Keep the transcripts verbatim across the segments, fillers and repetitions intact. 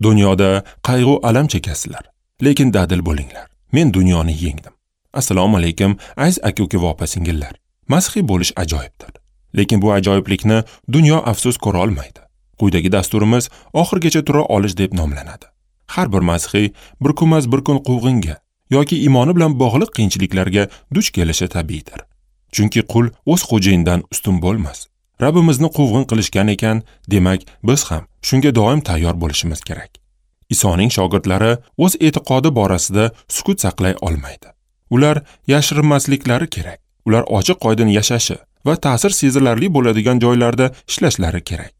Dunyoda qayg'u alam chekasizlar, lekin dadil bo'linglar. Men dunyoni yengdim. Assalomu alaykum, aziz aka-uka va opa-singillar. Masihiy bo'lish ajoyibdir. Lekin bu ajoyiblikni dunyo afsus ko'ra olmaydi. Quyidagi dasturimiz oxirgacha tura olish deb nomlanadi. Har bir masihiy bir kunmas bir kun quvg'inga yoki iymoni bilan bog'liq qiyinchiliklarga duch kelishi tabiiydir. Chunki qul o'z xo'jayinidan ustun bo'lmas. Rabbimizni quvg'in qilishgan ekan, demak biz ham shunga doim tayyor bo'lishimiz kerak. Isoning shogirdlari o'z e'tiqodi borasida sukut saqlay olmaydi. Ular yashirinmasliklari kerak. Ular ochiq-oydin yashashi va ta'sir sezilarli bo'ladigan joylarda ishlashlari kerak.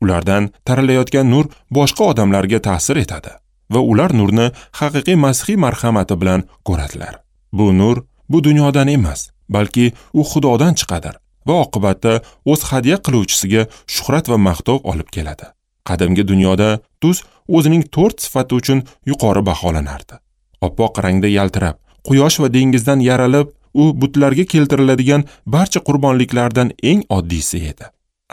Ulardan taralayotgan nur boshqa odamlarga ta'sir etadi va ular nurni haqiqiy masihiy marhamati bilan ko'radilar. Bu nur bu dunyodan emas, balki u Xudodan chiqadir va oqibatda o'z hadya qiluvchisiga shuhrat va maqtov olib keladi. Qadimgi dunyoda tuz o'zining to'rt sifati uchun yuqori baholanardi. Oppoq rangda yaltirab, quyosh va dengizdan yaralib, u butlarga keltiriladigan barcha qurbonliklardan eng oddiysi edi.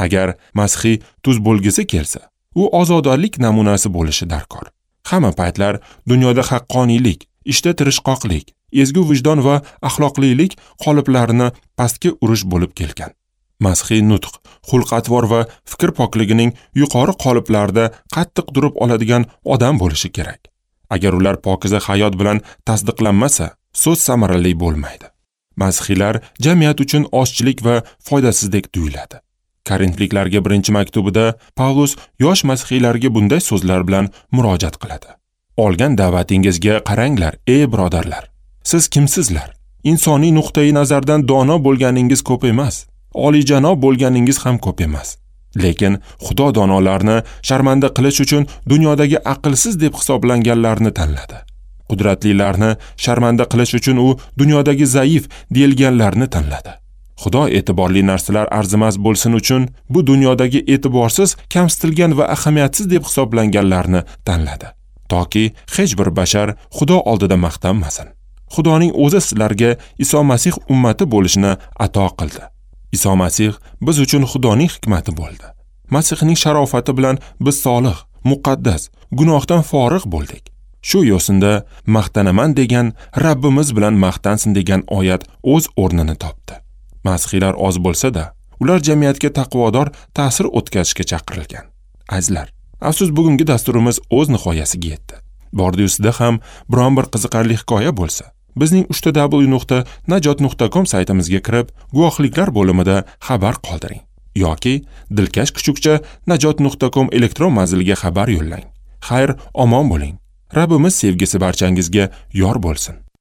Agar masihiy tuz bo'lgisi kelsa, u ozodalik namunasi bo'lishi darkor. Hamma paytlar dunyoda haqqoniylik, ishda tirishqoqlik, ezgu vijdon va axloqlilik qoliplarini pastga urish bo'lib kelgan. Masihiy nutq, xulq-atvor va fikr pokligining yuqori qoliplarida qattiq turib oladigan odam bo'lishi kerak. Agar ular pokiza hayot bilan tasdiqlanmasa, so'z samarali bo'lmaydi. Masihiylar jamiyat uchun ozchilik va foydasizdek tuyuladi. Korintliklarga birinchi maktubida Pavlus yosh masihiylarga bunday so'zlar bilan murojaat qiladi. Olgan da'vatingizga qaranglar, ey birodarlar. Siz kimsizlar? Insoniy nuqtai nazardan dono bo'lganingiz ko'p emas, oliyjanob bo'lganingiz ham ko'p emas. Lekin Xudo donolarni sharmanda qilish uchun dunyodagi aqlsiz deb hisoblanganlarni tanladi. Qudratlilarni sharmanda qilish uchun u dunyodagi zaif deyilganlarni tanladi. Xudo e'tiborli narsalar arzimas bo'lsin uchun bu dunyodagi e'tiborsiz, kamsitilgan va ahamiyatsiz deb hisoblanganlarni tanladi, toki hech bir bashar Xudo oldida maqtanmasin. Xudoning o'zi sizlarga Iso Masih ummati bo'lishini ato qildi. Iso Masih biz uchun Xudoning hikmati bo'ldi. Masihning sharofati bilan biz solih, muqaddas, gunohdan forig' bo'ldik. Shu yo'sinda maqtanaman degan Rabbimiz bilan maqtansin degan oyat o'z o'rnini topdi. Masihiylar oz bo'lsa-da, ular jamiyatga taqvodor ta'sir o'tkazishga chaqirilgan. Azizlar, afsus bugungi dasturimiz o'z nihoyasiga yetdi. Bordi-yu sizda ham biron bir qiziqarli hikoya bo'lsa, bizning uch w nuqta najot nuqta com saytimizga kirib, guvohliklar bo'limida xabar qoldiring yoki dilkash kuchukcha najot nuqta com elektron manziliga xabar yo'llang. Xayr, omon bo'ling. Rabbimiz sevgisi barchangizga yor bo'lsin.